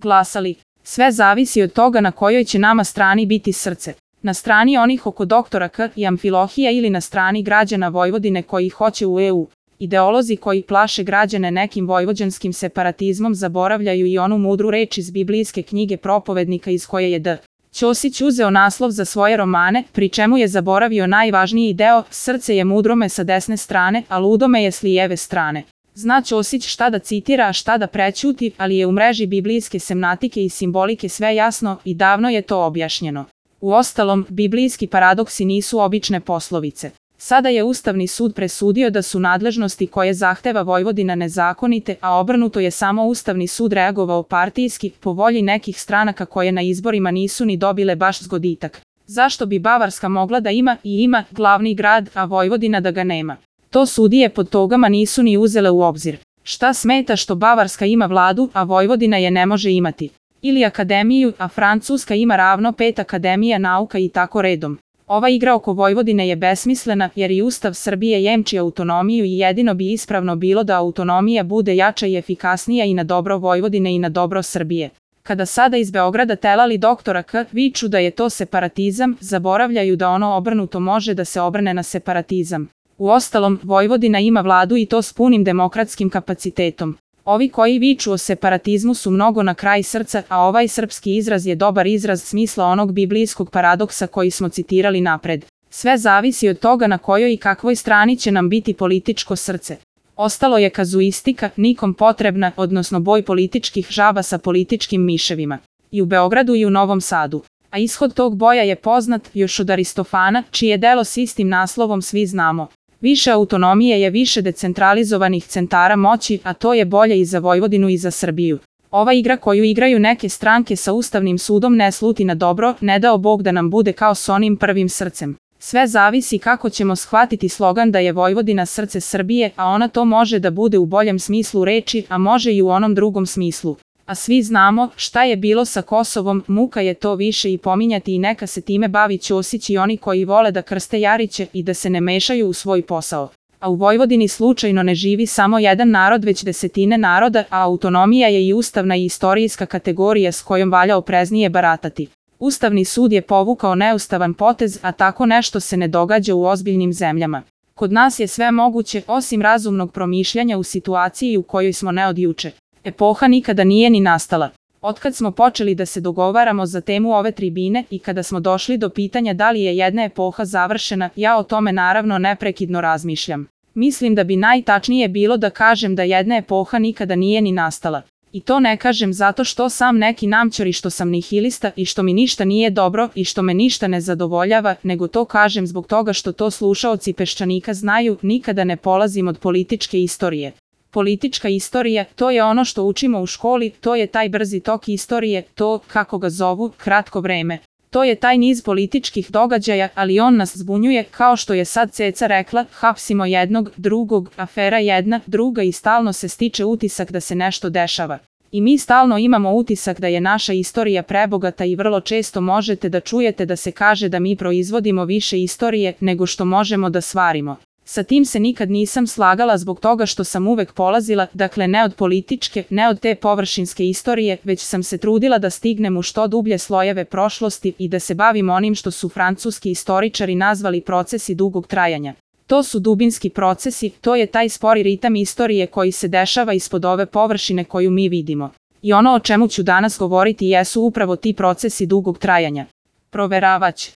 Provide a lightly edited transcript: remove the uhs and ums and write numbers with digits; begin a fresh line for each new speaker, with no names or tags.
glasali. Sve zavisi od toga na kojoj će nama strani biti srce. Na strani onih oko doktora K i Amfilohija ili na strani građana Vojvodine koji hoće u EU. Ideolozi koji plaše građane nekim vojvođanskim separatizmom zaboravljaju i onu mudru reč iz biblijske knjige Propovednika iz koje je D. Ćosić uzeo naslov za svoje romane, pri čemu je zaboravio najvažniji deo: srce je mudrome sa desne strane, a ludome je s lijeve strane. Zna Ćosić šta da citira, a šta da prećuti, ali je u mreži biblijske semnatike i simbolike sve jasno i davno je to objašnjeno. Uostalom, biblijski paradoksi nisu obične poslovice. Sada je Ustavni sud presudio da su nadležnosti koje zahteva Vojvodina nezakonite, a obrnuto je samo Ustavni sud reagovao partijski, po volji nekih stranaka koje na izborima nisu ni dobile baš zgoditak. Zašto bi Bavarska mogla da ima i ima glavni grad, a Vojvodina da ga nema? To sudije pod togama nisu ni uzele u obzir. Šta smeta što Bavarska ima vladu, a Vojvodina je ne može imati? Ili akademiju, a Francuska ima ravno 5 akademija nauka i tako redom. Ova igra oko Vojvodine je besmislena jer i Ustav Srbije jemči autonomiju i jedino bi ispravno bilo da autonomija bude jača i efikasnija i na dobro Vojvodine i na dobro Srbije. Kada sada iz Beograda telali doktora K viču da je to separatizam, zaboravljaju da ono obrnuto može da se obrne na separatizam. Uostalom, Vojvodina ima vladu i to s punim demokratskim kapacitetom. Ovi koji viču o separatizmu su mnogo na kraj srca, a ovaj srpski izraz je dobar izraz smisla onog biblijskog paradoksa koji smo citirali napred. Sve zavisi od toga na kojoj i kakvoj strani će nam biti političko srce. Ostalo je kazuistika, nikom potrebna, odnosno boj političkih žaba sa političkim miševima. I u Beogradu i u Novom Sadu. A ishod tog boja je poznat još od Aristofana, čije delo s istim naslovom svi znamo. Više autonomije je više decentralizovanih centara moći, a to je bolje i za Vojvodinu i za Srbiju. Ova igra koju igraju neke stranke sa Ustavnim sudom ne sluti na dobro, ne dao Bog da nam bude kao s onim prvim srcem. Sve zavisi kako ćemo shvatiti slogan da je Vojvodina srce Srbije, a ona to može da bude u boljem smislu reči, a može i u onom drugom smislu. A svi znamo šta je bilo sa Kosovom, muka je to više i pominjati i neka se time bavi Ćosić i oni koji vole da krste Jariće i da se ne mešaju u svoj posao. A u Vojvodini slučajno ne živi samo jedan narod već desetine naroda, a autonomija je i ustavna i istorijska kategorija s kojom valja opreznije baratati. Ustavni sud je povukao neustavan potez, a tako nešto se ne događa u ozbiljnim zemljama. Kod nas je sve moguće osim razumnog promišljanja u situaciji u kojoj smo ne od juče. Epoha nikada nije ni nastala. Otkad smo počeli da se dogovaramo za temu ove tribine i kada smo došli do pitanja da li je jedna epoha završena, ja o tome naravno neprekidno razmišljam. Mislim da bi najtačnije bilo da kažem da jedna epoha nikada nije ni nastala. I to ne kažem zato što sam neki namćor i što sam nihilista i što mi ništa nije dobro i što me ništa ne zadovoljava, nego to kažem zbog toga što to slušaoci Peščanika znaju, nikada ne polazim od političke istorije. Politička istorija, to je ono što učimo u školi, to je taj brzi tok istorije, to, kako ga zovu, kratko vreme. To je taj niz političkih događaja, ali on nas zbunjuje, kao što je sad Ceca rekla, hapsimo jednog, drugog, afera jedna, druga i stalno se stiče utisak da se nešto dešava. I mi stalno imamo utisak da je naša istorija prebogata i vrlo često možete da čujete da se kaže da mi proizvodimo više istorije nego što možemo da stvarimo. Sa tim se nikad nisam slagala zbog toga što sam uvek polazila, dakle ne od političke, ne od te površinske istorije, već sam se trudila da stignem u što dublje slojeve prošlosti i da se bavim onim što su francuski istoričari nazvali procesi dugog trajanja. To su dubinski procesi, to je taj spori ritam istorije koji se dešava ispod ove površine koju mi vidimo. I ono o čemu ću danas govoriti jesu upravo ti procesi dugog trajanja. Proveravać.